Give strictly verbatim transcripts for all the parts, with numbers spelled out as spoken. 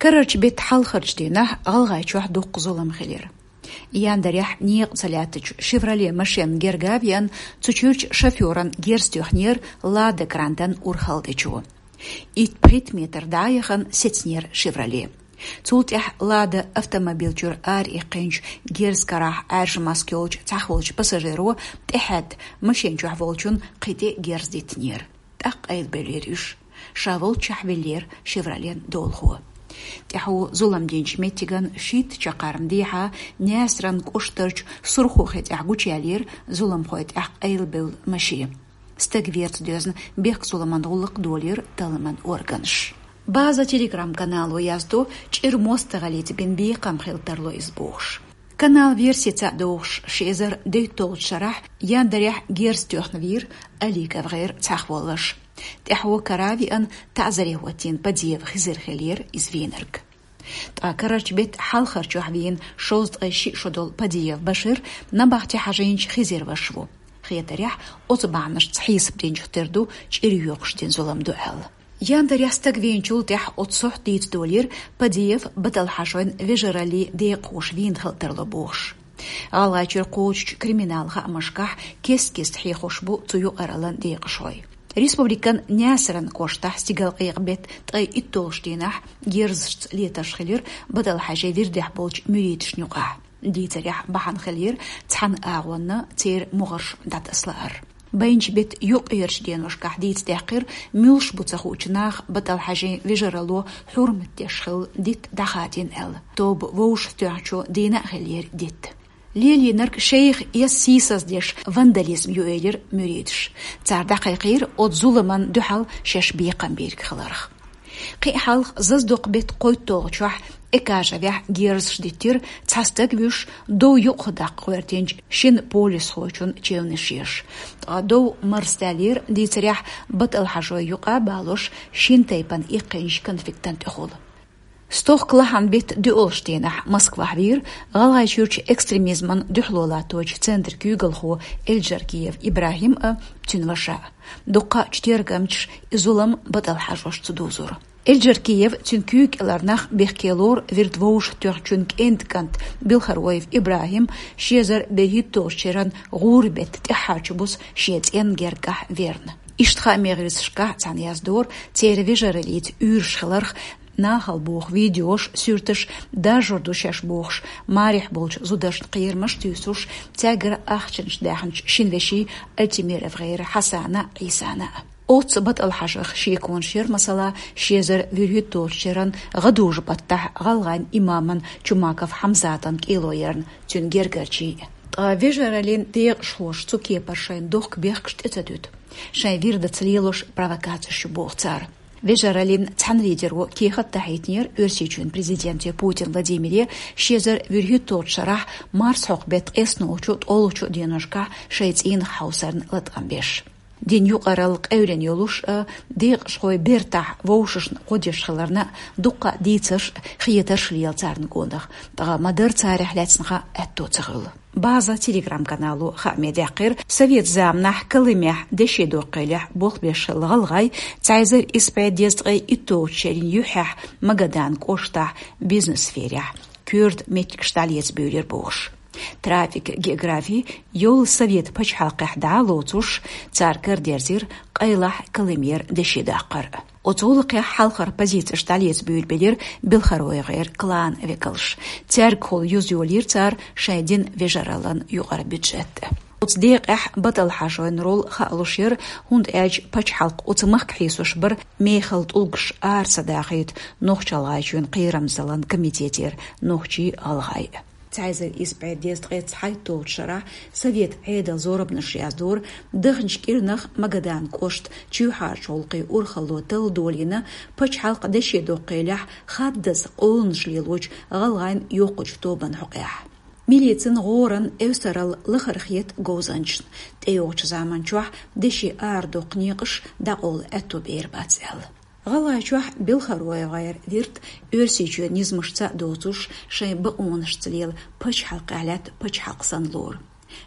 Карарчу беттан хьалхарчу дийнахь ГӀалгӀайчохь дуккха зулам хилира. Яндарехь некъа ца лаьттачу «Шевроле» машенна герга а веана, цу чуьрчу шофёран герз тоьхнера «Лада Грантан» урхалдечо. Итт-пхийтта метр дӀа а яхана, сецнера «Шевроле». Цул тӀаьхьа «Лада» автомобиль чуьра араиккхинчу герзан карахь Ӏаьржа маска йолчу цхьаъ волчу пассажиро тӀехьаьдда, машен чохь волчун кхин тӀе герз диттинера. ТӀаккха къайлабевллера уьш. Ша волччохь виллера «Шевролен» долахо. ТӀаьхьо зулам динчу меттиган шийтта чаккхарма дехьа Наьсаран кӀоштарчу Сурхо-Хи тӀехь гучуяьллера зуламхойн тӀехь къайлабевлла машен. Стаг верца доьзна, бехк-зуламан гӀуллакх долийра талламан органаша. «База» Telegram-канало яздо, чӀир мостагӀаллица бина бекхам хила тарло иза бохуш. Каналан версица а догӀуш, ши эзар дейтталгӀачу шарахь яндарехь герз тоьхна вийра Аликов ГӀайр цхьаъ волуш. ТӀаьхьо кара а веана, таӀзаре хӀоттийна Падиев Хизир хиллера иза вийнарг. Ткъа карарчу беттан хьалхарчохь вийна шовзткъе шиъ шо долу Падиев Башир набахти хьажийначу Хизиран ваша ву. Хетарехь, оцу бахьанашца хьесап динчух тера ду чӀир йоькъуш дина зулам ду аьлла. Яндарехь стаг вийначул тӀаьхьа оцу сохьта дийца долийра Падиев Баталхьажойн вежараллин декъахоша вийна хила тарло бохуш. ГӀалгӀайчуьра кхочучу криминалан хаамашкахь кест-кеста хьехош бу цу юкъараллин декъашхой. Республикан Наьсаран кӀоштахь стигалкъекъа беттан ткъе итталгӀачу дийнахь герзашца летарш хилира Баталхьажин вирдехь болчу муьридашна юкъахь. Дийцарехь, бахьана хиллера цхьана агӀонна церан могӀарш дӀатасалаар. Байначу беттан юккъерчу деношкахь дийца даьккхира, муьлш бу ца хуучу наха Баталхьажин вежаралло хьурмат деш хилла дитт дӀахадийна аьлла. Тоба вовшахтоьхначу дийнахь а хиллера дитт. Лелийнарг шайх эс сийсаздеш вандализм ю, элира муьридаш. Цара дӀакхайкхийра оцу зуламна дуьхьал шаьш бекхам бийриг хиларх. Кхин а хьалха Заздокъ беттан кхойтталгӀачохь Экажевехь герзаш диттира, цхьа стаг вуьйш, дов юкъахдаккха гӀоьртинчу шина полисхочун чевнаш еш. Ткъа дов марсадаьллера, дийцарехь, Баталхьажойн юкъа а балош, шина тайпана иккхинчу конфликтан тӀехула. Стохка лахьан беттан доьалгӀачу дийнахь Москвахь вийра ГӀалгӀайчуьрчу экстремизмана дуьхьало латточу центран куьйгалхо Эльджаркиев ИбрахӀим а, цуьнан ваша а. Дуккха а тергамчаша и зулам Баталхьажошца дузура. Эльджаркиев, цуьнан куьйга кӀелара нах бехке лору вирд вовшахтоьхначун кӀентан кӀант Белхароев ИбрахӀим ши эзар берхӀитталгӀачу шеран гӀуран беттан тӀаьххьарчу буса шен цӀенна гергахь верна. Иштта хаамийн гӀирсашкахь цхьаьна яздора церан вежараллица уьйраш хиларх, нахала боху видеош, суьрташ даржор ду шаьш бохуш, марехь болчу зударшна кхерамаш туьйсуш, цаьргара ахчанаш даьхначу шина вешин Альтимиров ГӀайран Хьасанан а, Ӏийсанан а. Оццу Баталхьажойх шеконаш яра, масала, ши эзар вуьрхӀитталгӀачу шеран гӀадужу-баттахь гӀалгӀайн имаман Чумаков Хьамзатан кӀело ярна цуьнан гергарчий. Ткъа вежараллин декъашхоша цу кепара шайна дохку бехкаш тӀе ца дуьту. Шайн вирдаца лелош провокацеш ю, боху цара. Вежараллин цхьана лидеро кехат дахьийтинера Оьрсийчоьнан президенте Путин Владимире ши эзар вуьрхӀитталгӀачу шарахь марсхьокху беттан ткъеснолгӀачу, ткъолгӀачу деношкахь шайн цӀийнах хьовсарна латкъам беш. Дин юкъаралла къевлина йолуш а, декъашхой бертахь вовшашна гӀо деш хиларна а дуккха а дийцарш а, хетарш а лела царна гонах, ткъа ма-дарра царах лаьцна хан аьтто ца хуьлу. «База» Telegram-канало хааме даьккхира, совет заманахь Колымехь деши доккхийлехь болх беш хилла гӀалгӀай цхьа эзар исс бӀе дезткъе итталгӀачу шерийн юьххьехь Магадан кӀоштахь бизнес-сферехь коьрта меттигаш дӀалеца буьйлира бохуш. Трафик, географи йолу совет пачхьалкхехь дӀа а лоцуш, цара карадерзира къайлахь Колымера деши даккхар. Оцу гӀуллакхехь хьалхара позицеш дӀалеца буьйлабелира Белхароев ГӀайран кланан векалш. Цаьргахула юза йолийра цара шайн динан вежараллин юкъара бюджет. Оцу декъехь Баталхьажойн роль хаалуш яра, хӀунда аьлча пачхьалкх оцу махка хьийсош бара мехала тӀулгаш ара ца дахийта Нохч-ГӀалгӀайчоьнан кхерамзаллин комитетера нохчий а, гӀалгӀай а. Цхьа эзар исс бӀе дезткъе цхьайтталгӀачу шарахь совет Ӏедалан зорбанаш яздора, даханчу кӀирнах Магадан кӀоштан чоьхьарчу гӀуллакхийн урхалло талла долийна, пачхьалкх деши доккхийлехь хаддаза къоланаш лелочу гӀалгӀайн йоккхачу тобанна хьокъехь. Милицин гӀоран эвсаралла лахара хета говзанчашна, тӀейогӀучу заманчохь деши арадоккху некъаш дӀакъовла аьтто бер бац аьлла. ГӀалгӀайчохь Белхароев ГӀайран вирд Оьрсийчоьнан низамашца а доцуш, шайн бакъонашца лела пачхьалкхехь лаьтта пачхьалкх санна лору.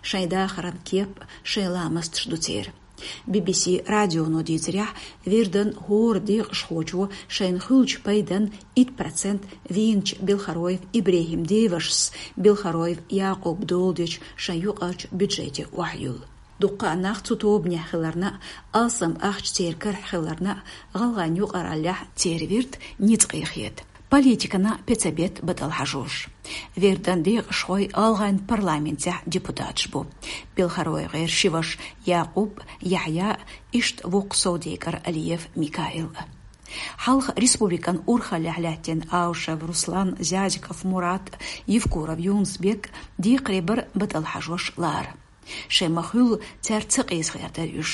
Шайн дахаран кеп а, шайн ламасташ а ду церан. Би-би-си радионо дийцарехь, вирдан хӀора декъашхочо шайна хуьлучу пайдан итт процент вийначу Белхароев ИбрехӀим девашас Белхароев Якъуб доладечу шайн юкъарчу бюджете охьайилла. Дуккха а нах цу тобанехь хиларна а, алсам ахча церан карахь хиларна а, гӀалгӀайн юкъараллехь церан вирд ницкъе хета. Политикана пецабетта батӀал хьажош. Вирдан декъашхой гӀалгӀайн парламентехь депутаташ бу. БелхароевгӀеран ши ваша Якъуб, Яхьъя, иштта воккха совдегар Алиев Микаил. Хьалха республикан урхаллехь лаьттина Аушев Руслан, Зязиков Мурат, Евкуров Юнус-Бек декхаре бара батӀал хьажош лара. Шайн ма-хуьллу, цаьрца ца къийсахер дара уьш.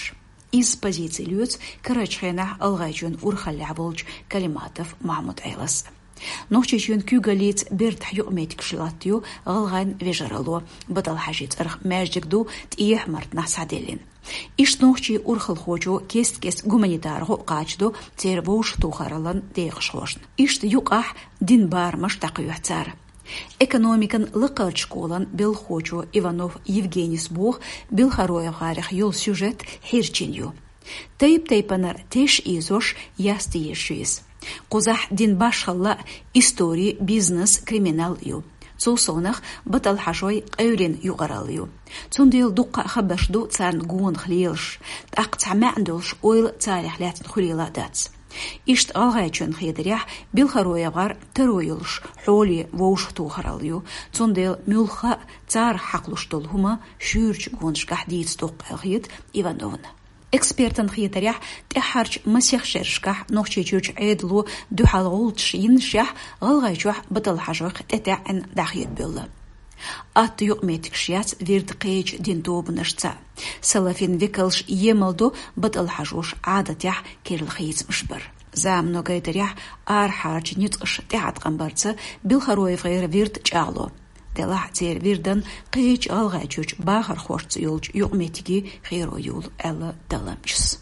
Изза позици лоьцу карарчу хенахь ГӀалгӀайчоьнан урхаллехь волчу Калиматов Махьмуд-Ӏелас. Нохчийчоьнан куьйгаллица бертахь юкъаметтигаш латтайо гӀалгӀайн вежаралло, батӀал хьажийн цӀарах маьждиг ду ТӀехьа-Мартанахь схьаделлина. Иштта нохчийн урхалхочо кест-кеста гуманитар гӀо а кхачадо церан вовшахтохараллан декъашхошна. Иштта юкъахь динан барамаш дӀакхоьхьу цара. Экономикан лакхарчу школан белхахочо Иванов Евгенис боху, БелхароевгӀарех йолу сюжет хьирчина ю. Тайп-тайпанара теш ийзош, яста езаш ю иза. Кхузахь динан башхалла а, истори, бизнес, криминал а ю. Цул совнах батӀал хьажой къевлина юкъаралла ю. Цундела дуккха а хабарш ду царна гонах лелаш, тӀаккха цхьа маьӀна долуш ойла царах лаьцна хуьлийла а дац. Иштта ГӀалгӀайчоьнан хетарехь, БелхароевгӀар таро йолуш хьоле вовшахтохаралла ю, цундела муьлхха а царах хьакхалуш долу хӀума шуьйрачу гонашкахь дийца доккху аьлла хета Ивановна. Экспертан хетарехь, тӀаьххьарчу масех шерашкахь Нохчийчуьрчу Ӏедало дуьхьал гӀулчаш йиннашехь, ГӀалгӀайчохь батӀал хьажойх тӀетаьӀӀина дӀахедабевлла. Атта юкъаметтигаш яц вирдан кхечу динан тобанашца. Салафин векалш емал до батӀал хьажош Ӏадатехь керла хийцамаш бар. Замано гайтарехь, арахьарчу ницкъаша тӀеӀаткъам барца БелхароевгӀеран вирд чӀагӀло. Делахь а церан вирдан кхечу ГӀалгӀайчуьрчу бахархошца йолчу юкъаметтиге херо йолу аьлла далламчас.